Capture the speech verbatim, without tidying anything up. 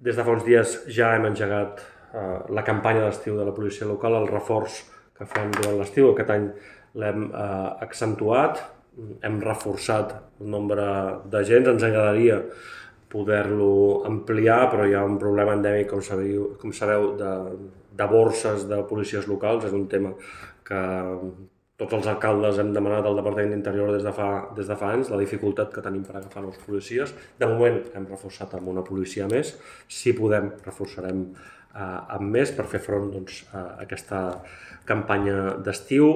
Des de fa uns dies ja hem engegat eh, la campanya d'estiu de la policia local, el reforç que fem durant l'estiu. Aquest any l'hem eh, accentuat, hem reforçat el nombre d'agents, ens agradaria poder-lo ampliar, però hi ha un problema endèmic, com sabeu, com sabeu de, de borses de policies locals. És un tema que tots els alcaldes hem demanat al Departament d'Interior des de fa, des de fa anys, la dificultat que tenim per agafar nous policies. De moment hem reforçat amb una policia més, si podem reforçarem eh, amb més per fer front doncs, a aquesta campanya d'estiu.